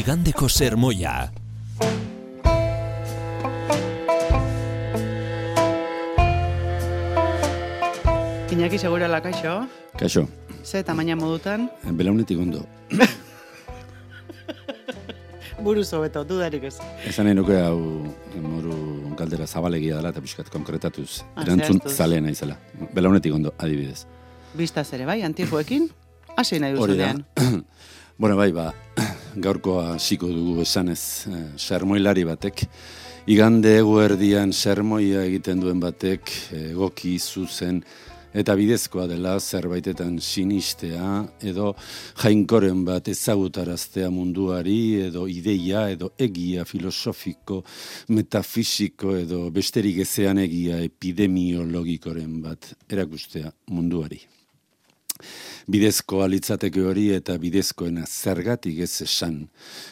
Igandeko sermoia. Iñaki Segurala, kaixo? Kaixo. Ze tamaina modutan? Belaunetik ondo. Buruz hobeto, dudarik ez. Esan nahi nuke hau moru galdera zabalegia dela eta pixkat konkretatuz. Erantzun zaleena izela. Belaunetik ondo, adibidez. Bistaz ere bai, antijoekin? Hasi nahi duzunean. Bueno, bai, gaurkoa hasiko dugu esanez, sermoilari batek. Igande eguerdian sermoia egiten duen batek egoki zuzen eta bidezkoa dela zerbaitetan sinistea edo jainkoren bat ezagutaraztea munduari edo ideia edo egia filosofiko, metafisiko edo besterik ezean egia epidemiologikoren bat erakustea munduari. Bidezkoa litzateke hori eta bidezkoena zergatik ez esan,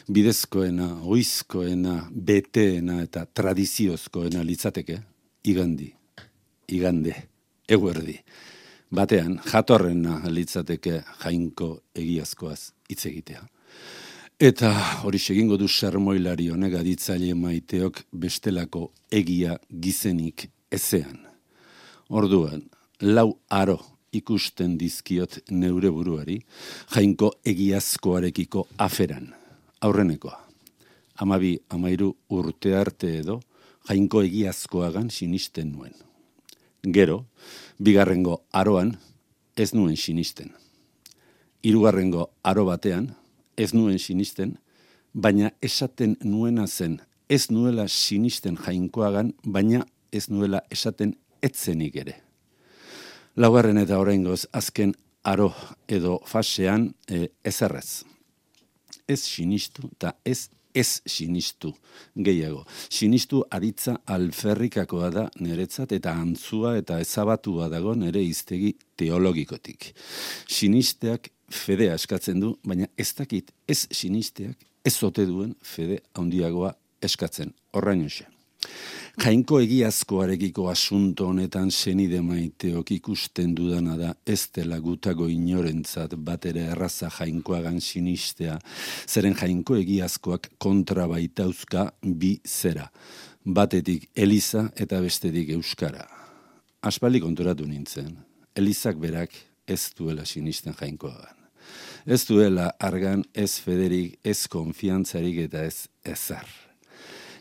bidezkoena, oizkoena, beteena eta tradiziozkoena litzateke, igande, eguerdi. Batean, jatorrena litzateke jainko egiazkoaz hitz egitea. Eta hori egingo du sermoilari honek aditzaile maiteok bestelako egia gizenik ezean. Orduan, 4 aro ikusten dizkiot neure buruari, jainko egiazkoarekiko aferan. Aurrenekoa. 12-13 urte arte edo, jainko egiazkoagan sinisten nuen. Gero, 2. aroan ez nuen sinisten. 3. aro batean ez nuen sinisten, baina esaten nuena zen ez nuela sinisten jainkoagan, baina ez nuela esaten etzenik ere. 4. eta oraingoz azken aro edo fasean ezerrez. Ez sinistu eta ez sinistu gehiago. Sinistu aritza alferrikakoa da niretzat eta antzua eta ezabatua dago nire hiztegi teologikotik. Sinisteak fedea eskatzen du, baina ez dakit ez sinisteak ez ote duen fede handiagoa eskatzen. Horrainoxe. Jainko egiazkoarekiko asunto honetan senide maiteok ikusten dudana da ez dela gutako inorentzat batere erraza jainkoagan sinistea, zeren jainko egiazkoak kontra baitauzka bi zera, batetik Eliza eta bestetik Euskara. Aspaldi konturatu nintzen, Elizak berak ez duela sinisten jainkoagan. Ez duela argan ez federik, ez konfiantzarik eta ez ezer.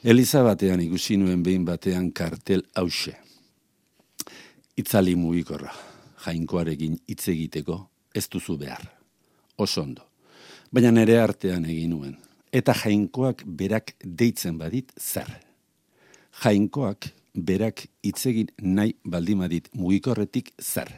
Eliza batean ikusi nuen behin batean kartel hause. Itzali mugikorra, jainkoarekin hitz egiteko ez duzu behar. Oso ondo. Baina nere artean egin nuen. Eta jainkoak berak deitzen badit zer. Jainkoak berak hitz egin nahi baldimadit mugikorretik zer.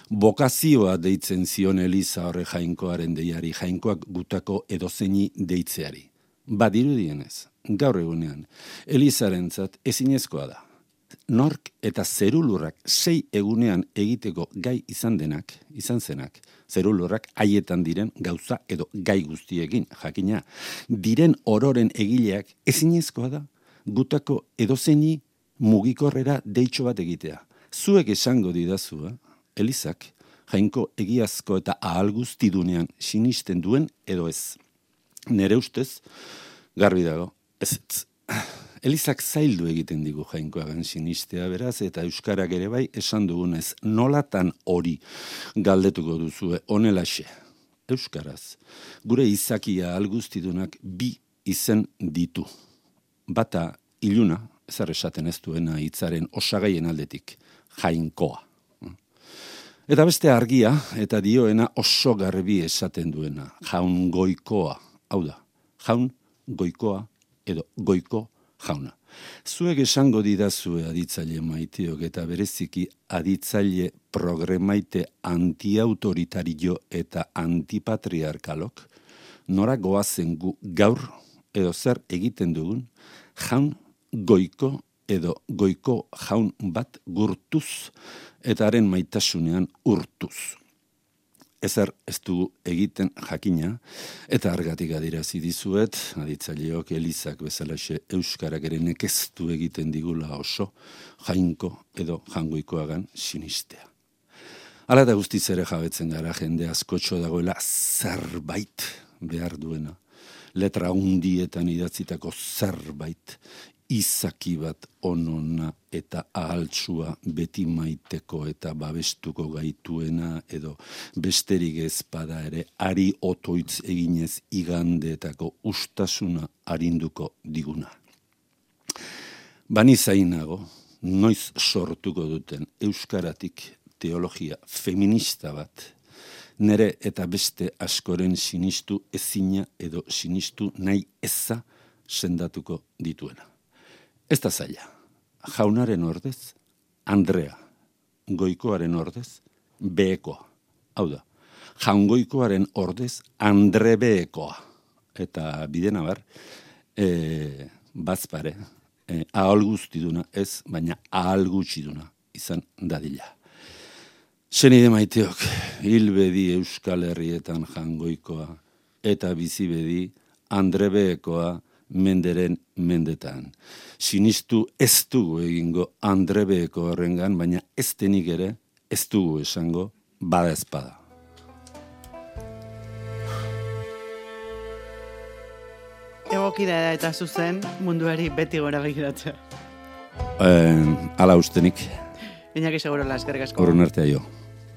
Bokazioa deitzen zion Eliza horre jainkoaren deiari, jainkoak gutako edozeini deitzeari. Badirudienez, gaur egunean, Elizarentzat ezinezkoa da. Nork eta zerulurrak 6 egunean egiteko gai izan zenak, zerulurrak haietan diren gauza edo gai guztiekin, jakina, diren ororen egileak ezinezkoa da, gutako edozeini mugikorrera deitxo bat egitea. Zuek esango didazua, Elizak, jainko egiazko eta ahal guztidunean sinisten duen edo ez. Nere ustez, garbi dago, ez. Elizak zaildu egiten digu jainkoagan sinistea beraz, eta Euskarak ere bai esan dugunez, nolatan hori galdetuko duzue honelaxe. Euskaraz, gure izakia alguztidunak 2 izen ditu. Bata iluna, ezer esaten ez duena hitzaren osagaien aldetik, jainkoa. Eta beste argia, eta dioena oso garbi esaten duena, jaungoikoa. Hau da, jaun goikoa edo goiko jauna. Zuek esango didazue aditzaile maiteok eta bereziki aditzaile progremaite antiautoritario eta antipatriarkalok, nora goazen gu gaur edo zer egiten dugun, jaun goiko edo goiko jaun bat gurtuz eta haren maitasunean urtuz. Ezer ez dugu egiten jakina, eta argatik adirazi dizuet, aditzaileok Elizak bezalaxe Euskarak ere nekeztu egiten digula oso, jainko edo jangoikoagan sinistea. Hala eta guztiz ere jabetzen gara jende askotxo dagoela zerbait behar duena. letra hundietan idatzitako zerbait, izaki bat onona eta ahaltsua beti maiteko eta babestuko gaituena edo besterik ezpada ere ari otoitz eginez igandeetako ustasuna arinduko diguna. Bani zainago, noiz sortuko duten euskaratik teologia feminista bat, nere eta beste askoren sinistu ezina edo sinistu nahi eza sendatuko dituena. Ez da zaila, jaunaren ordez, Andrea, goikoaren ordez, behekoa. Hau da, jaungoikoaren ordez, Andre behekoa. Eta bidena bar, bazpare, ahal guztiduna ez, baina ahal gutxiduna izan dadila. Senide maiteok, hilbedi Euskal Herrietan jangoikoa, eta bizibedi Andre behekoa, menderen mendetan. Sinistu ez dugu egingo Andre beheko horrengan, baina ez denik ere ez dugu esango bada ezpada. Egokida da eta zuzen munduari beti gora begiratzea. Hala ustenik. Iñaki Segurola, eskerrik asko. Horren artea jo.